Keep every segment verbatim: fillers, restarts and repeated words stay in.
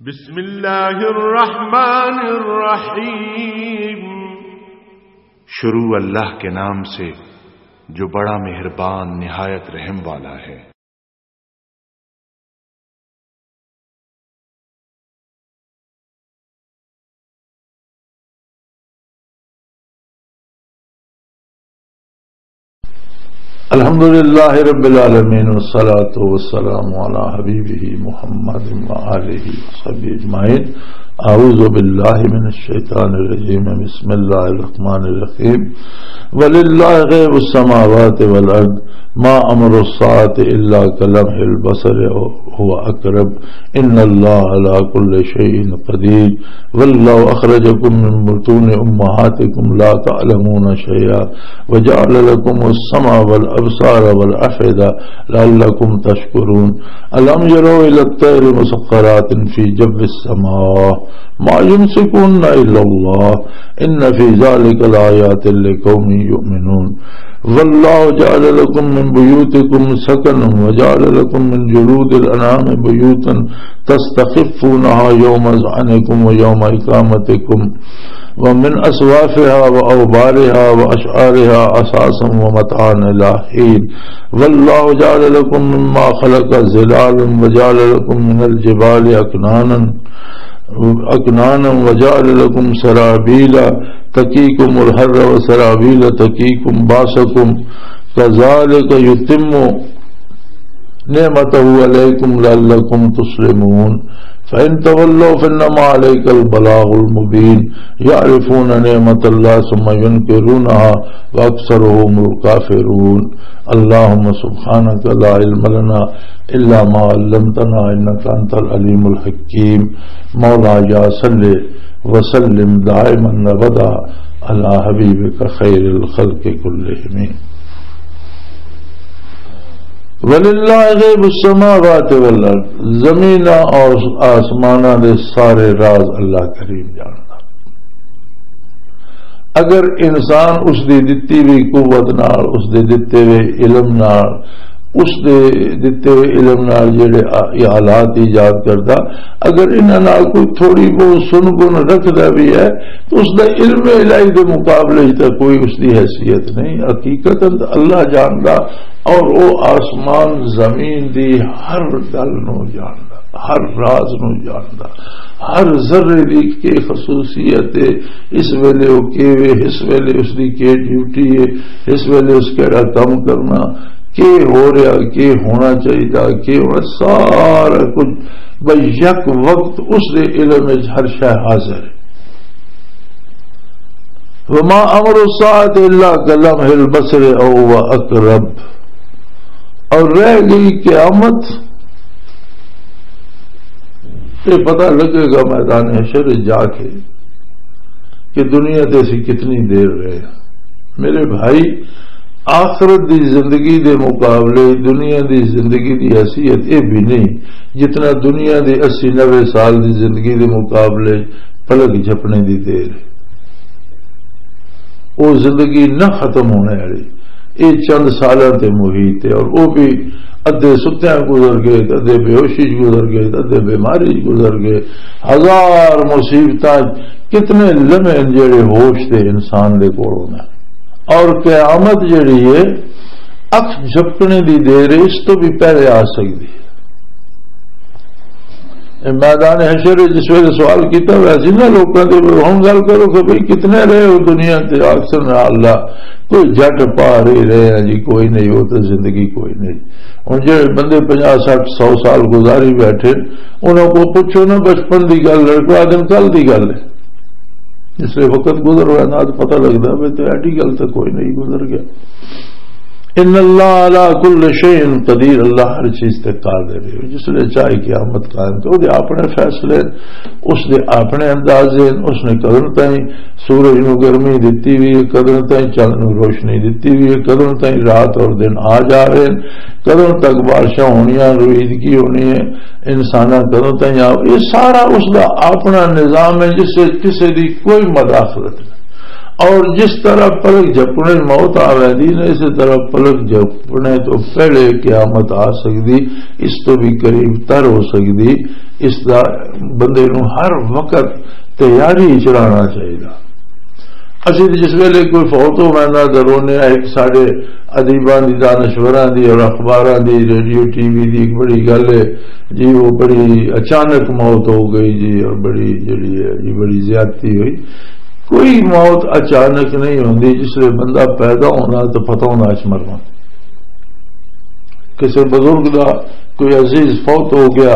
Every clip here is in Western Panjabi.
بسم اللہ الرحمن الرحیم۔ شروع اللہ کے نام سے جو بڑا مہربان نہایت رحم والا ہے۔ الحمد لله رب العالمين، والصلاة والسلام على حبيبه محمد وآله وصحبه أجمعين. أعوذ بالله من الشيطان الرجيم. بسم الله الرحمن الرحيم. ولله غيب السماوات والأرض. ما أمر الساعة إلا كلمح البصر أو هو أقرب. إن الله على كل شيء قدير. والله أخرجكم من بطون أمهاتكم لا تعلمون شيئا وجعل لكم السمع والأبصار والأفئدة لعلكم تشكرون. ألم يروا إلى الطير مسخرات في جو السماء ما يمسكهن إلا الله إن في ذلك لآيات لقوم يؤمنون. والله جعل لكم من بيوتكم سكنا وجعل لكم من جلود الأنعام بيوتا تستخفونها يوم ظعنكم ويوم إقامتكم ومن أصوافها وأوبارها وأشعارها أثاثا ومتاعا إلى حين. والله جعل لكم مما خلق ظلالا وجعل لكم من الجبال أكنانا أكنانا وجعل لكم سرابيل تقيكم الحر وسرابيل تقيكم بأسكم كذلك يتم نعمته عليكم لعلكم تسلمون. فإن تولوا فإنما عليك البلاغ المبين. يعرفون نعمة الله ثم ينكرونها وأكثرهم الكافرون. اللهم سبحانك لا علم لنا إلا ما علمتنا إنك أنت العليم الحكيم. مولاي صل وسلم دائما أبدا على حبيبك خير الخلق كلهم. وللہ غیب السماوات والارض، زمیناں اور آسماناں دے سارے راز اللہ کریم جاندا۔ اگر انسان اس دی دتی ہوئی قوت نال، اس دے دتے ہوئے علم نال، اس دے دتے ہوئے علم نال جڑے آ-، یہ حالات ایجاد کردا، اگر انہاں نال کوئی تھوڑی بہت سن گن رکھدا بھی ہے، تو اس دا علم الہی دے مقابلے وچ تاں کوئی اس دی حیثیت نہیں۔ حقیقت اللہ جاندا، اور وہ آسمان زمین دی ہر گل نو جاندا، ہر راز نو جاندا، ہر ذرے دی کی خصوصیت ہے، اس ویلے وہ کیوے، اس ویلے اس دی کی ڈیوٹی ہے، اس ویلے اس کیڑا کم کرنا، کی ہو رہا، کی ہونا چاہیے، کی ہونا، سارا کچھ بھئی یک وقت اس دے علم وچ ہر شے حاضر ہے۔ وما امر الساعة الا كلمح البصر او هو اقرب۔ اور رہ گئی قیامت، یہ پتہ لگے گا میدان حشر جا کے کہ دنیا تے اسی کتنی دیر رہے۔ میرے بھائی، آخرت دی زندگی دے مقابلے دنیا دی زندگی دی حیثیت یہ بھی نہیں، جتنا دنیا دے اسی نوے سال دی زندگی دے مقابلے پلک جھپنے دی دیر ہے۔ وہ زندگی نہ ختم ہونے والی، یہ چند سالاں تے محیط ہے، اور وہ بھی ادھے ستیاں گزر گئے، ادھے بے ہوشی چ گزر گئے، ادھے بیماری چ گزر گئے۔ ہزار مصیبتاں، کتنے لمحے ہیں جڑے ہوش دے انسان دے کول ہونا۔ اور قیامت جڑی ہے، اکھ جھپکنے دی دیر ہے، اس تو بھی پہلے آ سکدی ہے۔ اے میدان حشر وچ جس ویلے سوال کیتا ہوا سی نا لوکاں دے، ہن گل کرو کہ بھئی کتنے رہے ہو دنیا تے؟ اکثر نہ اللہ، کوئی جٹ پار ہی رہے ہیں جی، کوئی نہیں، وہ تو زندگی کوئی نہیں۔ ہن جڑے بندے پنجاہ، سٹھ، سو سال گزاری بیٹھے، انہاں کو پوچھو نا بچپن دی گل، لڑکوا دن کل دی گل ہے۔ اس لیے وقت گزر رہا ہے، نہ پتہ لگدا، بھئی تے ایڈی گل تے کوئی نہیں گزر گیا۔ ان اللہ علی کل شیء قدیر، اللہ ہر چیز تے قادر ہے۔ جس لے چاہے قیامت قائم کرے، وہ اپنے فیصلے، اس دے اپنے انداز ہیں، اس نے کدن تائیں سورج نو گرمی دتی ہوئی ہے، کدن تائیں چند نو روشنی دتی ہوئی ہے، کدن تائیں رات اور دن آ جا رہے ہیں، کدن تک بارشاں ہونیاں، رویدگی ہونی ہے، انساناں کدوں تائیں آؤ، یہ سارا اس دا اپنا نظام ہے، جس سے کسی دی کوئی مداخلت نہیں۔ اور جس طرح پلک جھپنے موت آ ویندی نے، اسی طرح پلک جھپنے تو پہلے قیامت آ سکدی، اس تو بھی قریب تر ہو سکدی۔ اس دا بندے نوں ہر وقت تیاری وچ رہنا چاہیدا۔ اسی تے جس ویلے کوئی فوت ہو ویندا تے رونے آ، ایک ساڈے ادیباں دی، دانشوراں دی اور اخباراں دی، ریڈیو، ٹی وی دی ایک بڑی گل ہے جی، وہ بڑی اچانک موت ہو گئی جی، اور بڑی جڑی ہے جی، بڑی زیادتی ہوئی۔ کوئی موت اچانک نہیں ہوندی، جس ویلے بندہ پیدا ہونا تو پتہ ہونا اچ مرنا۔ کسی بزرگ دا کوئی عزیز فوت ہو گیا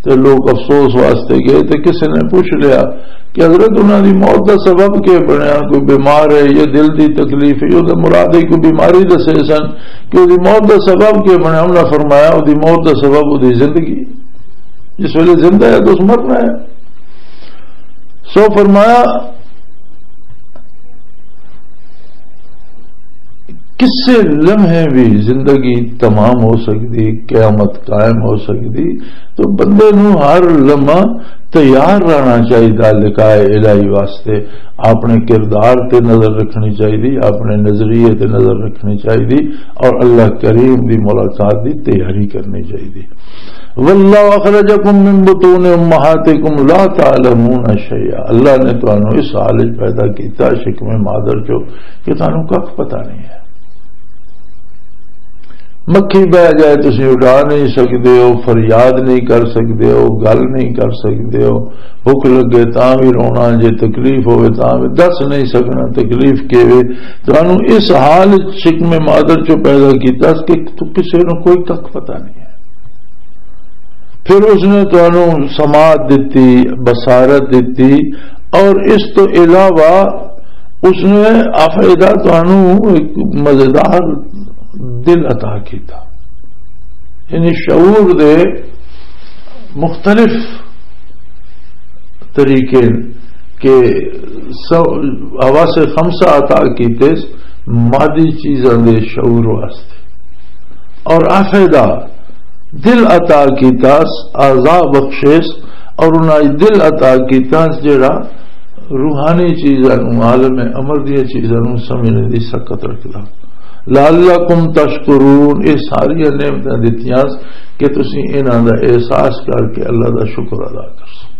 تے لوگ افسوس واسطے گئے تے کسی نے پوچھ لیا کہ حضرت، انہاں دی موت دا سبب کیا بنیا؟ کوئی بیمار ہے یا دل دی تکلیف ہے؟ او تے مراد ہے کوئی بیماری دسے سن کہ او دی موت دا سبب کیا بنیا؟ انہاں فرمایا، او دی موت دا سبب او دی زندگی۔ جس ویلے زندہ ہے تو اس مرنا ہے۔ سو فرمایا، کسے لمحے بھی زندگی تمام ہو سکدی، قیامت قائم ہو سکدی۔ تو بندے نوں ہر لمحہ تیار رہنا چاہیدا لقاء الہی واسطے۔ اپنے کردار تے نظر رکھنی چاہیدی، اپنے نظریے تے نظر رکھنی چاہیدی، اور اللہ کریم دی ملاقات دی تیاری کرنی چاہیدی۔ واللہ اخرجکم من بطون امہاتکم لا تعلمون شیئا، اللہ نے تانوں اس حال وچ پیدا کیتا شکم مادر چو کہ تانوں ککھ پتہ نہیں ہے۔ مکھی بہ جائے، تسی اڈا نہیں سکدے ہو، فریاد نہیں کر سکدے ہو، گل نہیں کر سکدے ہو، بھوک لگے تاں بھی رونا، جے تکلیف ہوئے تاں بھی دس نہیں سکنا تکلیف کی وے۔ تانوں اس حال وچ شکم مادر چو پیدا کیتا کہ تو کسے نوں کوئی ککھ پتہ نہیں ہے۔ پھر اس نے تانوں سماعت دتی، بصارت دتی، اور اس تو علاوہ اس نے افیدہ تانوں ایک مزیدار دل عطا کیتا۔ یعنی شعور دے مختلف طریقے کہ سو-، حواس خمسہ عطا کیتے مادی چیزاں دے شعور واسطے، اور افیدہ دل عطا کیتا، اعضاء بخشش، اور انہاں دل عطا کیتا جڑا روحانی چیزاں نوں، عالم امر دیاں چیزاں نوں سمجھنے دی سکت رکھدا۔ لعلکم تشکرون، یہ ساری نعمتاں دتیاں کہ تسی انہاں دا احساس کر کے اللہ دا شکر ادا کر سکو۔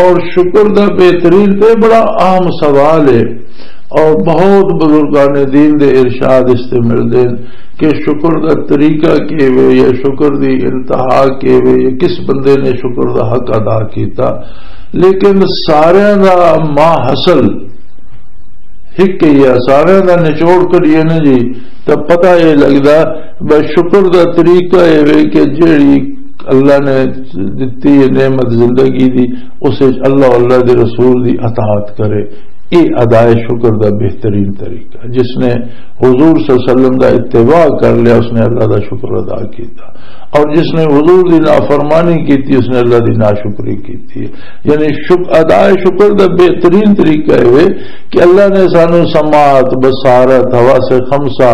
اور شکر دا بہترین تے بڑا عام سوال ہے، اور بہت بزرگان دین دے ارشاد اس تے ملدے ہیں کہ شکر دا طریقہ کی وے یا شکر دی انتہا کی وے یا کس بندے نے شکر دا حق ادا کیتا، لیکن سارے دا ما حاصل ہک ہی آ، سارے دا نچوڑ کریے نا جی، تو پتہ یہ لگدا بس شکر دا طریقہ یہ وے کہ جیڑی اللہ نے دتی ہے نعمت زندگی دی، اس وچ اللہ، اللہ دے رسول دی اطاعت کرے۔ یہ ادائے شکر دا بہترین طریقہ، جس نے حضور صلی اللہ علیہ وسلم دا اتباع کر لیا، اس نے اللہ دا شکر ادا کیتا، اور جس نے حضور دی نافرمانی کیتی، اس نے اللہ دی ناشکری کیتی ہے۔ یعنی شک-، ادائے شکر دا بہترین طریقہ یہ ہے کہ اللہ نے سانو سماعت، بصارت، حواس خمسہ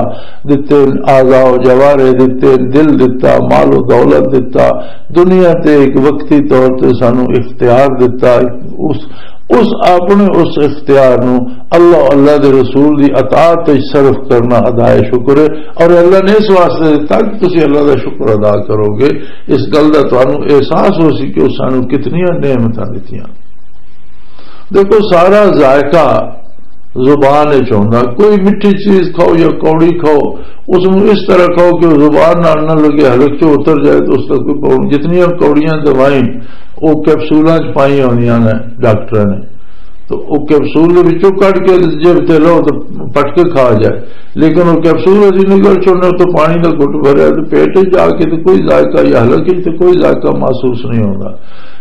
دتے، اعضاء و جوارح دتے، دل دتا، مال و دولت دتا، دنیا تے ایک وقتی طور تے سانو اختیار دتا۔ اس، اس اپنے اس اختیار نو اللہ، اللہ دے رسول دی اطاعت وچ صرف کرنا ادائے شکر ہے۔ اور اللہ نے اس واسطے دتا کہ تسی اللہ دا شکر ادا کرو گے۔ اس گل دا تانوں احساس ہو سی کہ اس سانوں کتنیاں نعمتاں دتیاں۔ دیکھو، سارا ذائقہ زبان وچ ہوندا۔ کوئی مٹھی چیز کھاؤ یا کوڑی کھاؤ، اس نوں اس طرح کھاؤ کہ وہ زبان نال نہ لگے، حلق چوں اتر جائے تو اس دا کوئی پرابلم۔ جتنیاں کوڑیاں دوائیں، وہ کیپسولاں چ پائیاں ہوندیاں نے ڈاکٹراں نے، تو وہ کیپسول دے وچوں کڈ کے جیب تے لو تو پٹ کے کھا جائے، لیکن وہ کیپسول اسی نکل چنے تو پانی دا گھٹ بھریا تو پیٹ وچ جا کے تو کوئی ذائقہ یا حلق وچ تو کوئی ذائقہ محسوس نہیں ہوندا۔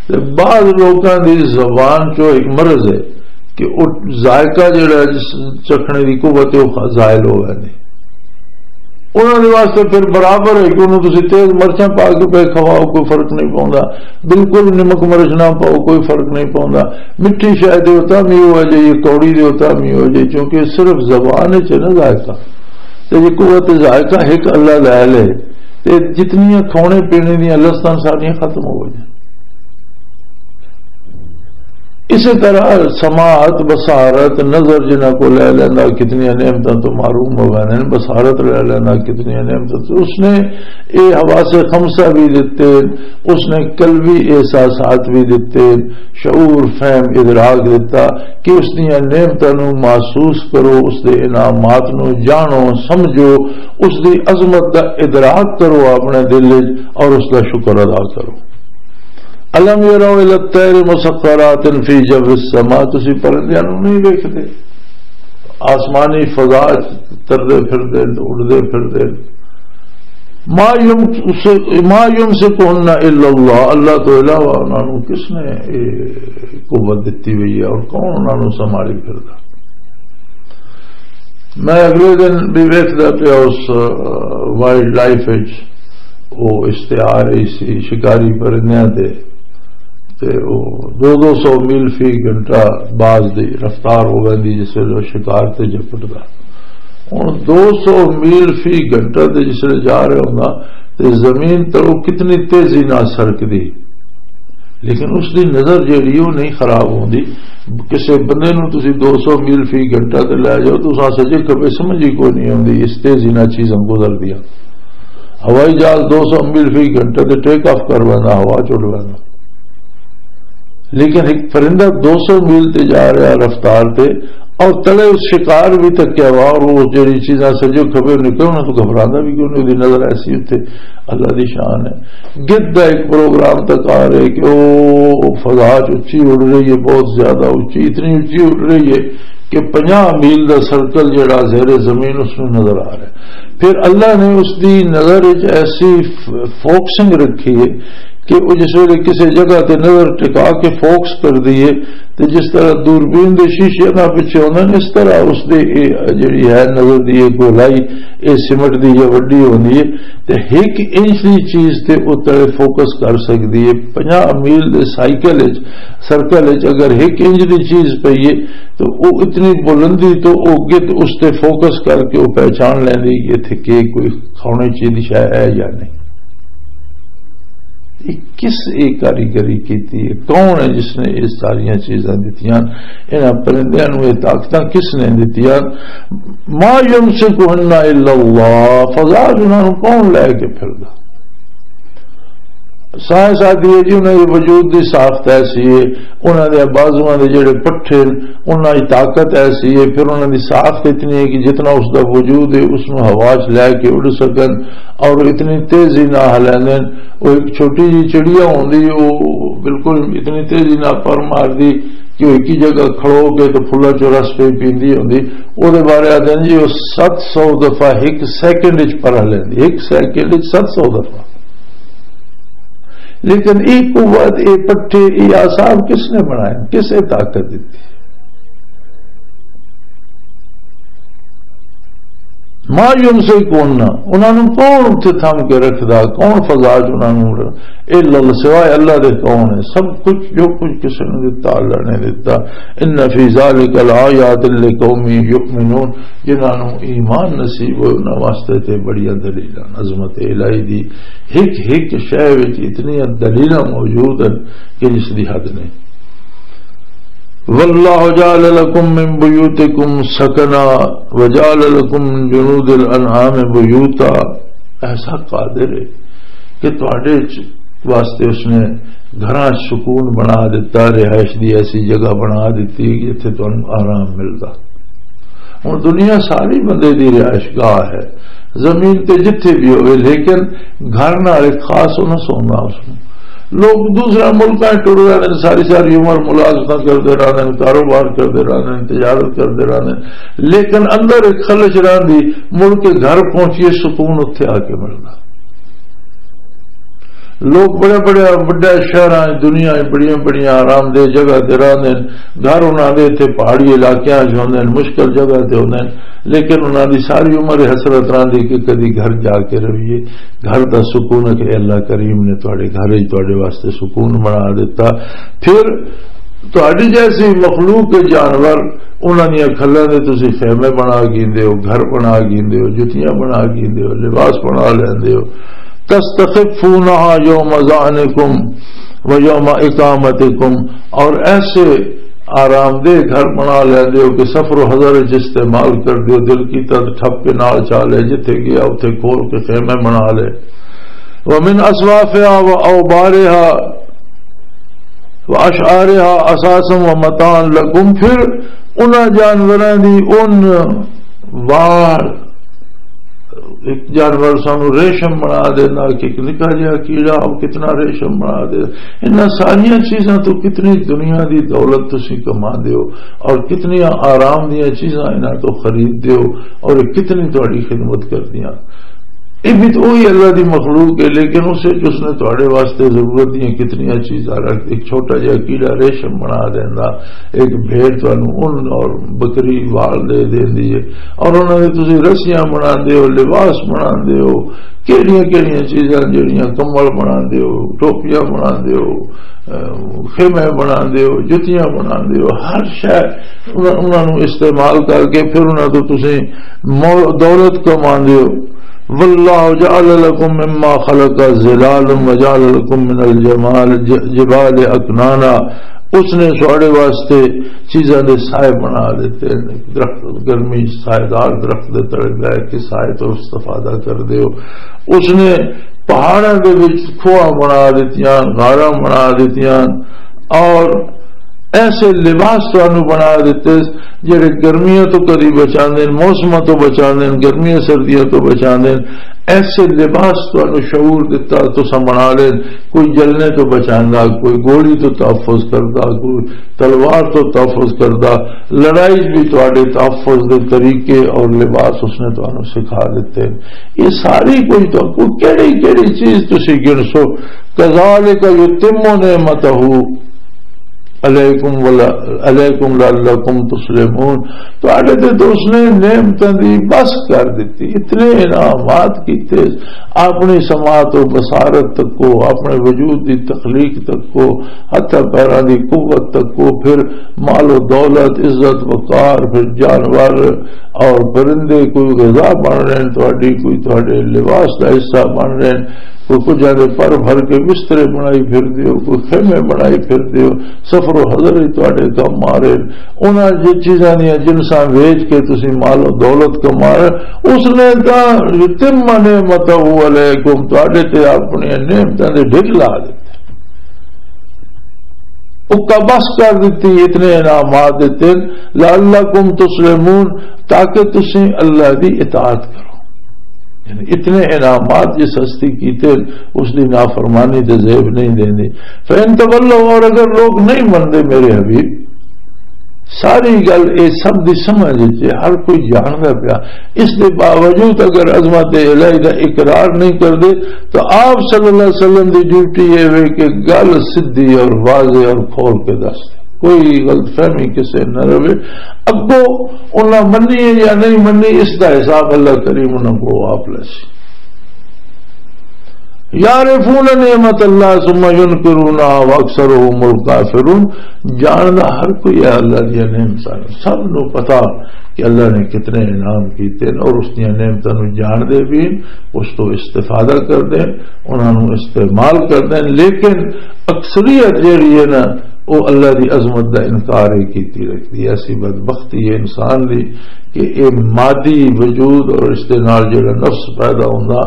تے بعض لوکاں دی زبان چو ایک مرض ہے کہ وہ ذائقہ جڑا ہے جس چکھنے دی قوت ہے وہ زائل ہو ویندی۔ انہاں دے واسطے پھر برابر ہے کہ انہوں تسی تیز مرچاں پا کے پہ کھواؤ، کوئی فرق نہیں پوندا، بالکل نمک مرچ نہ پاؤ، کوئی فرق نہیں پوندا۔ مٹھی شے دے ہوتا بھی ہو جائے، کوڑی دے ہوتا بھی ہو جائے، کیونکہ صرف زبان وچ ہے نا ذائقہ۔ تے یہ قوت ذائقہ ایک اللہ لے لے، تے جتنی کھانے پینے دیاں لذتاں ساریاں ختم ہو جائیں۔ اسی طرح سماعت، بصارت، نظر جنہاں کو لے لینا، کتنی نعمتوں تو محروم ہو گئے ہیں، بصارت لے لینا، کتنی نعمتوں تو، اس نے یہ حواس خمسہ بھی دیتے، اس نے قلبی احساسات بھی دیتے، شعور، فہم، ادراک دیتا کہ اس دیاں نعمتوں نو محسوس کرو، اس دے انعامات نو جانو، سمجھو، اس دی عظمت دا ادراک کرو اپنے دل وچ اور اس دا شکر ادا کرو۔ الم یروا الی الطیر مسخرات فی جو السماء، تسی پرندیاں نو نہیں ویکھدے؟ آسمانی فضا چ تردے پھردے، اڑدے پھردے۔ ما یمس-، ما یمسکہن الا اللہ، اللہ تو علاوہ انہاں نوں کس نے یہ قوت دتی ہوئی ہے اور کون انہاں نوں سنبھالی پھردا؟ میں اگلے دن بھی ویکھدا پیا اس، آ، وائلڈ لائف وچ، وہ اشتہار ہی سی شکاری پرندیاں دے، تے وہ دو دو سو میل فی گھنٹہ باز دی رفتار ہو ویندی جس ویلے وہ شکار تے جپٹدا۔ ہن دو سو میل فی گھنٹہ تے جس ویلے جا رہا ہوندا تے زمین تے وہ کتنی تیزی نال سرکدی، لیکن اس دی نظر جیڑی وہ نہیں خراب ہوندی۔ کسے بندے نوں تسی دو سو میل فی گھنٹہ تے لے جاؤ تو اساں سجے کبے سمجھ ہی کوئی نہیں ہوندی، اس تیزی نال چیزاں گزر دیاں۔ ہوائی جہاز دو سو میل فی گھنٹہ تے ٹیک آف کر ویندا، ہوا چڑ ویندا۔ لیکن ایک پرندہ دو سو میل تے جا رہا رفتار تے، اور تلے اس شکار بھی تکیا ہوا، اور وہ جڑی چیزاں سجے کھبے نکلن تو گھبراندا بھی کیوں نہیں، نظر ایسی اتھے اللہ دی شان ہے۔ گد دا ایک پروگرام تک آ رہے کہ وہ فضا چ اچھی اڑ رہی ہے، بہت زیادہ اچھی، اتنی اچھی اڑ رہی ہے کہ پنجاہ میل دا سرکل جڑا زیر زمین اس نوں نظر آ رہا ہے۔ پھر اللہ نے اس دی نظر وچ ایسی ف-، فوکسنگ رکھی ہے کہ وہ جس ویلے کسی جگہ تے نظر ٹکا کے فوکس کر دیے تے جس طرح دوربین دے شیشے نہ پچھے ہوندے نے، اس طرح اس دے اے جڑی ہے نظر دی اے گولائی، اے سمٹ دی یا وڈی ہوندی ہے تے ایک انچ دی چیز تے اتلے فوکس کر سکدی ہے۔ پنجاہ میل دے سائیکل وچ، سرکل وچ اگر ایک انچ دی چیز پئی ہے تو وہ اتنی بلندی تو وہ گد اس تے فوکس کر کے وہ پہچان لیندی کہ اتھے کہ کوئی کھانے چیز شے ہے یا نہیں۔ یہ کس، یہ کاریگری کیتی ہے؟ کون ہے جس نے یہ ساریاں چیزاں دتیاں؟ انہاں پرندیاں نوں یہ طاقتاں کس نے دتیاں؟ ما یمسکہن الا اللہ، فضا انہاں نوں کون لے کے پھردا؟ سائنس آدھی ہے جی، انہاں دے وجود دی ساخت ایسی ہے، انہاں دے بازواں دے جڑے پٹھے نے، انہاں دی طاقت ایسی ہے، پھر انہاں دی ساخت اتنی ہے کہ جتنا اس دا وجود ہے، اس نوں ہوا چ لے کے اڑ سکن، اور اتنی تیزی نال ہلیندے نے۔ وہ ایک چھوٹی جی چڑیا ہوندی، وہ بالکل اتنی تیزی نال پر ماردی کہ وہ ایک ہی جگہ کھڑو کے تو پھلاں چوں رس پہ پیندی ہوندی۔ وہ دے بارے آدھے نے جی، وہ ست سو دفعہ ایک سیکنڈ وچ پر ہلیندی، ایک سیکنڈ وچ ست سو دفعہ۔ لیکن یہ قوت، یہ پٹھے، یہ آسان کس نے بنائے؟ کس نے طاقت دیتی؟ ما یمسکہن، انہاں نوں کون اتھے تھم کے رکھدا؟ کون فضا چ انہاں نوں ر-، الا اللہ، سوائے اللہ دے کون ہے؟ سب کچھ، جو کچھ کسے نے دتا، اللہ نے دتا۔ ان فی ذلک لآیات لقوم یؤمنون، جنہاں نوں ایمان نصیب ہوئے، انہاں واسطے تے بڑیاں دلیلاں، عظمت الہی دی۔ ہک ہک شے وچ اتنیاں دلیلاں موجود ہیں کہ جس دی حد نہیں۔ واللہ جعل لکم من بیوتکم سکنا وجعل لکم من جلود الانعام بیوتا۔ ایسا قادر ہے کہ تواڈے چ-، واسطے اس نے گھراں سکون بنا دیتا، رہائش دی ایسی جگہ بنا دیتی جتھے تانوں آرام ملدا۔ ہن دنیا ساری بندے دی رہائش گاہ ہے، زمین تے جتھے بھی ہوئے، لیکن گھر نال ایک خاص انس ہوندا اس نوں۔ لوگ دوسرے ملکاں چ ٹر رہے ہیں، ساری ساری عمر ملازمتاں کردے رہندے ہیں، کاروبار کردے رہندے ہیں، تجارت کردے رہندے ہیں، لیکن اندر ایک خلش رہندی، مڑ کے گھر پہنچیے سکون اتھے آ کے ملدا۔ لوگ بڑے بڑے وڈے شہراں، دنیا وچ بڑیاں بڑیاں آرام دہ جگہ تے رہندے نے، گھر انہاں دے اتھے پہاڑی علاقیاں وچ ہوندے نے، مشکل جگہ تے ہوندے نے، لیکن انہاں دی ساری عمر حسرت رہندی کہ کدی گھر جا کے رہیے، گھر دا سکون ہے کہ اللہ کریم نے تواڈے گھر وچ تواڈے واسطے سکون بنا دیتا۔ پھر تہاڈی جیسی مخلوق کے جانور، انہاں دیاں کھلاں دے تسی خیمے بنا گھندے ہو، گھر بنا گھندے ہو، جتیاں بنا گھندے ہو، لباس بنا لیندے ہو۔ تستخفونها یوم ظعنکم و یوم اقامتکم، اور ایسے آرام دہ گھر بنا لیندے ہو کہ سفر و حضر وچ استعمال کر دیو، دل کیتا تے ٹھپ کے نال چا لے، جتھے گیا اتھے کھول کے خیمے بنا لے۔ ومن اصوافها و اوبارها و اشعارها اثاثا و متاعا لکم، پھر انہاں جانوراں دی ان واڑ، ایک جانور سانو ریشم بنا دینا، کہ ایک نکا جہا کیڑا، وہ کتنا ریشم بنا دے۔ انہاں ساریاں چیزاں تو کتنی دنیا دی دولت تسی کما دیو، اور کتنی آرام دیاں چیزاں انہاں تو خرید دیو، اور کتنی تہاڈی خدمت کردیاں۔ یہ بھی تو وہی اللہ دی مخلوق ہے، لیکن اسے اس نے تہاڈے واسطے ضرورت دیاں کتنیاں چیزاں رکھ، ایک چھوٹا جہا کیڑا ریشم بنا دینا، ایک بھیڑ تانوں ان اور بکری وال دے دیندی ہے، اور انہاں نے تسی رسیاں بناندے ہو، لباس بناندے ہو، کیڑیاں کیڑیاں چیزاں جڑیاں کمبل بناندے ہو، ٹوپیاں بناندے ہو، اہ، خیمے بناندے ہو، جتیاں بناندے ہو، ہر شے انہاں، انہاں نوں استعمال کر کے پھر انہاں تو تسی مو-، دولت کماندے ہو۔ واللہ جعل لکم مما خلق ظلالا وجعل لکم من الجمال ج-، جبال اکنانا۔ اس نے ساڈے واسطے چیزاں دے سائے بنا دیتے ہیں، درخت، گرمی سائے دار درخت دے تلے بیٹھ کے سائے تو استفادہ کر دیو۔ اس نے پہاڑاں دے وچ کھوہ بنا دتیاں، غاراں بنا دتیاں، اور ایسے لباس تانوں بنا دتے جڑے گرمیاں تو کدی بچاندے نے، موسماں تو بچاندے نے، گرمیاں سردیاں تو بچاندے نے۔ ایسے لباس تانوں شعور دتا، تساں بنا لے۔ کوئی جلنے تو بچاندا، کوئی گولی تو تحفظ کردا، کوئی تلوار تو تحفظ کردا۔ لڑائی بھی تہاڈے تحفظ دے طریقے اور لباس اس نے تانوں سکھا دتے۔ یہ ساری کوئی تو، کوئی کیڑی کیڑی چیز تسی گنسو؟ کذالک یتم نعمتہ علیکم ولا-، علیکم لعلکم تسلمون۔ تہاڈے تے تو اس نے نعمتاں دی بس کر دتی، اتنے انعامات کیتے، اپنی سماعت و بصارت تک کو، اپنے وجود دی تخلیق تک کو، ہتھاں پیراں دی قوت تک کو، پھر مال و دولت، عزت وقار، پھر جانور اور پرندے کوئی غذا بن رہے ہیں تہاڈی، کوئی تہاڈے لباس دا حصہ بن رہے ہیں، کوئی کجھاں دے پر بھر کے بسترے بنائی پھر دیو، کوئی خیمے بنائی پھر دیو، سفر و حضر ہی تہاڈے کم آ رہے ہیں۔ انہاں جی چیزاں دیاں جنساں ویچ کے تسی مال و دولت کما رہے، اس نے تاں یتم نعمتہ علیکم، تہاڈے تے اپنی نعمتاں دے ڈھیر لا دتے۔ اکا بس کر دتی، اتنے انعامات دتے، لعلکم تسلمون، تاکہ تسی اللہ دی اطاعت کرو۔ یعنی اتنے انعامات جس ہستی کیتے، اس دی نافرمانی تے زیب نہیں دیندی۔ فَإِن تَوَلَّوْا، اور اگر لوگ نہیں مندے میرے حبیب، ساری گل اے سب دی سمجھ وچ ہے، ہر کوئی جاندا پیا، اس دے باوجود اگر عظمت الہی دا اقرار نہیں کردے تو آپ صلی اللہ علیہ وسلم دی ڈیوٹی اے وے کہ گل سدھی اور واضح اور کھول کے دس دے، کوئی غلط فہمی کسے نہ رہے۔ اگوں انہاں منی ہے یا نہیں منی، اس دا حساب اللہ کریم انہاں کو آپ لے سی۔ یعرفون نعمت اللہ ثم ینکرونها واکثرهم الکافرون۔ جاندا ہر کوئی ہے اللہ دی نعمتاں نوں، سب نوں پتا کہ اللہ نے کتنے انعام کیتے ہیں اور اس دی نعمتاں نوں جان دے بھی، اس تو استفادہ کر دے، انہاں نوں استعمال کر دے، لیکن اکثریت جیڑی ہے نا، وہ اللہ دی عظمت دا انکار ہی کیتی رکھدی ہے۔ ایسی بدبختی ہے انسان دی کہ اے مادی وجود اور اس دے نال جڑا نفس پیدا ہوندا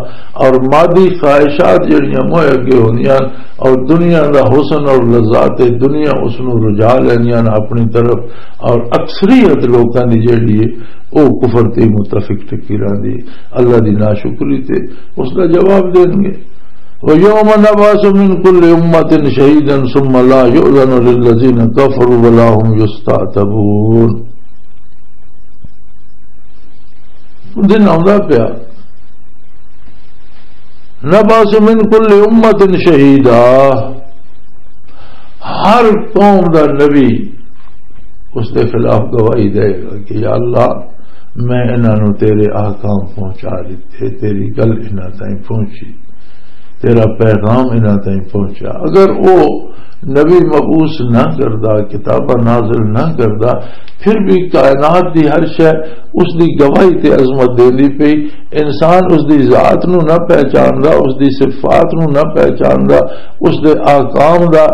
اور مادی خواہشات جڑیاں موئے اگے ہوندیاں اور دنیا دا حسن اور لذات دنیا اس نوں رجا لیندیاں نے اپنی طرف، اور اکثریت لوکاں دی جڑی ہے او کفر تے متفق ٹکی رہندی، اللہ دی ناشکری تے اس دا جواب دین گے۔ وَيَوْمَ نَبْعَثُ مِنْ كُلِّ أُمَّةٍ شَهِيدًا ثُمَّ لَا يُؤْذَنُ لِلَّذِينَ كَفَرُوا وَلَا هُمْ يُسْتَعْتَبُونَ۔ دن آندا پیا، نَبْعَثُ مِنْ كُلِّ أُمَّةٍ شَهِيدًا، ہر قوم دا نبی اس دے خلاف گواہی دے گا کہ یا اللہ، میں انہاں نوں تیرے احکام پہنچا دیتے، تیری گل انہاں تائیں پہنچی۔ تیرا پیغام انہاں تائیں پہنچا۔ اگر او نبی مبعوث نہ کردا، کتاباں نازل نہ کردا، پھر بھی کائنات دی ہر شے اس دی گواہی تے عظمت دیندی پئی۔ انسان اس دی ذات نو نہ پہچاندا، اس دی صفات نو نہ پہچاندا، اس دے احکام دا،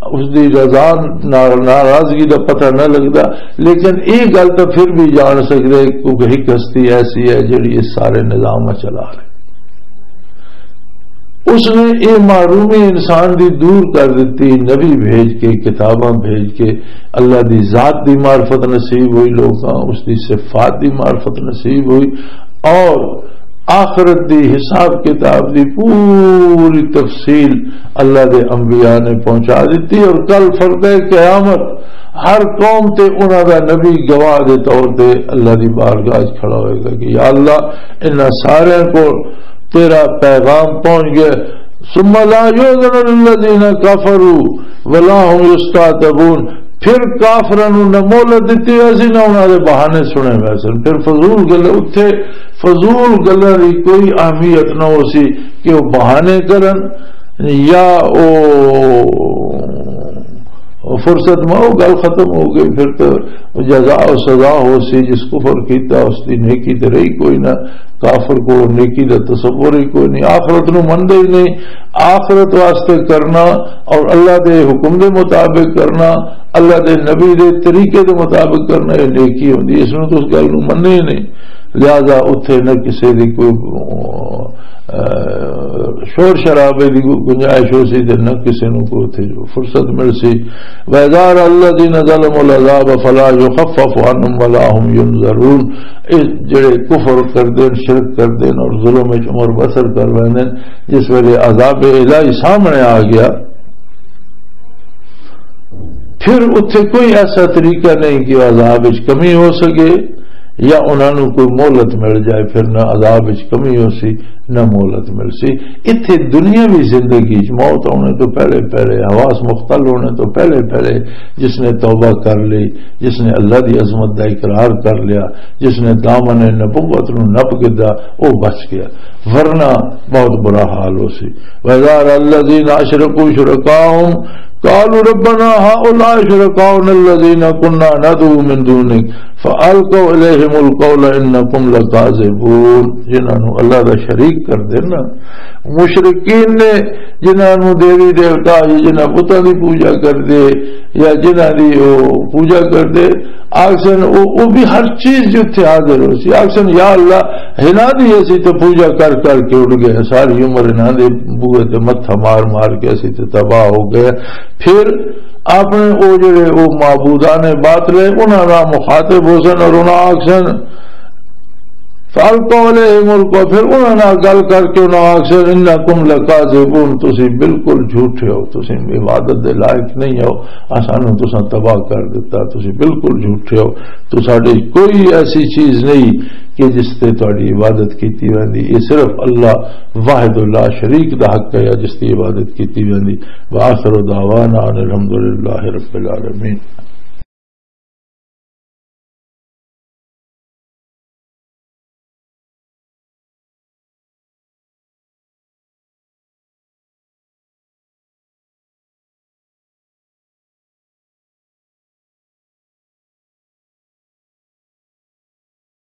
اس دی رضا نا-، ناراضگی دا پتہ نہ لگدا۔ لیکن اے گل تاں پھر بھی جان سکدے، کیونکہ ایک ہستی ایسی ہے جڑی اس سارے نظام نوں چلا رہی۔ اس نے اے محرومی انسان دی دور کر دتی، نبی بھیج کے، کتاباں بھیج کے۔ اللہ دی ذات دی معرفت نصیب ہوئی لوکاں، اس دی صفات دی معرفت نصیب ہوئی، اور آخرت دی حساب کتاب دی پوری تفصیل اللہ دے انبیاء نے پہنچا دتی۔ اور کل فرد قیامت ہر قوم تے انہاں دا نبی گواہ دے طور تے اللہ دی بارگاہ وچ کھڑا ہوئے گا کہ یا اللہ، انہاں سارے کو تیرا پیغام پہنچ گیا۔ ثم لا يؤذن للذين كفروا ولا هم يستعتبون۔ پھر کافراں نوں نہ مہلت دتی ویسی، نہ انہاں دے بہانے سنے ویسن۔ پھر فضول گل، اتھے فضول گلاں دی کوئی اہمیت نہ ہو سی کہ وہ بہانے کرن یا او فرصت میں وہ گل ختم ہو گئی۔ پھر تو جزا و سزا ہو سی، جس کفر کیتا اس دی نیکی تے رہی کوئی نہ۔ کافر کو نیکی دا تصور ہی کوئی نہیں، آخرت نو مندے ہی نہیں۔ آخرت واسطے کرنا اور اللہ دے حکم دے مطابق کرنا، اللہ دے نبی دے طریقے دے مطابق کرنا، یہ نیکی ہوندی ہے۔ اس نو تو اس گل نو مننے ہی نہیں۔ لہذا اتھے نہ کسے دی کوئی، آ، شور شرابے دی کوئی گنجائش ہو سی تے نہ کسے نو کوئی اتھے فرصت مل سی۔ وَإِذَا رَأَى الَّذِينَ ظَلَمُوا الْعَذَابَ فَلَا يُخَفَّفُ عَنْهُمْ وَلَا هُمْ يُنظَرُونَ۔ اس جڑے کفر کردے نے، شرک کردے نے اور ظلم وچ عمر بسر کر لیندے نے، جس ویلے عذاب الہی سامنے آ گیا، پھر اتھے کوئی ایسا طریقہ نہیں کہ عذاب وچ کمی ہو سکے یا انہاں نوں کوئی مہلت مل جائے، پھر نہ عذاب وچ کمی ہو سی، نہ مہلت مل سی۔ اتھے دنیاوی زندگی وچ موت آنے تو پہلے پہلے، حواس مختل ہونے تو پہلے پہلے جس نے توبہ کر لی، جس نے اللہ دی عظمت دا اقرار کر لیا، جس نے دامن نبوت نو نپ گدا، او بچ گیا، ورنہ بہت برا حال ہو سی۔ وَإِذَا رَأَى الَّذِينَ أَشْرَكُوا شُرَكَاءَهُمْ قَالُوا رَبَّنَا هَؤُلَاءِ شُرَكَاؤُنَا الَّذِينَ كُنَّا نَدْعُو مِن دُونِكَ فَأَلْقَوْا إِلَيْهِمُ الْقَوْلَ إِنَّكُمْ لَكَاذِبُونَ۔ جنہاں نو اللہ دا شریک کر دینا، مشرکین نے جنہاں نو دیوی دیوتا، جنہاں بتاں دی پوجا کر دے یا جنہاں دی او پوجا کر دے، آکسن او، او بھی ہر چیز جتھے حاضر ہو سی۔ آکسن، یا اللہ، ہنا دی اسی تے پوجا کر کر کے اٹھ گئے، ساری عمر انہاں دے بوئے تے متھا مار مار کے اسی تے تباہ ہو گئے۔ پھر اپنے او جڑے او معبودان باطل ہے، انہاں نال مخاطب ہو سن اور انہاں آکسن، فَأَلْقَوْا إِلَيْهِمُ الْقَوْلَ، پھر انہاں نال گل کر کے انہاں آکھیا، "إِنَّكُمْ لَكَاذِبُونَ، تسی بالکل جھوٹے ہو، تسی عبادت دے لائق نہیں ہو، اسانوں تساں تباہ کر دتا، تسی بالکل جھوٹے ہو، تو ساڈے کوئی ایسی چیز نہیں کہ جس تے تہاڈی عبادت کیتی ویندی، یہ صرف اللہ واحد لا شریک دا حق ہے جس دی عبادت کیتی ویندی۔" وآخر دعوانا ان الحمد للہ رب العالمین۔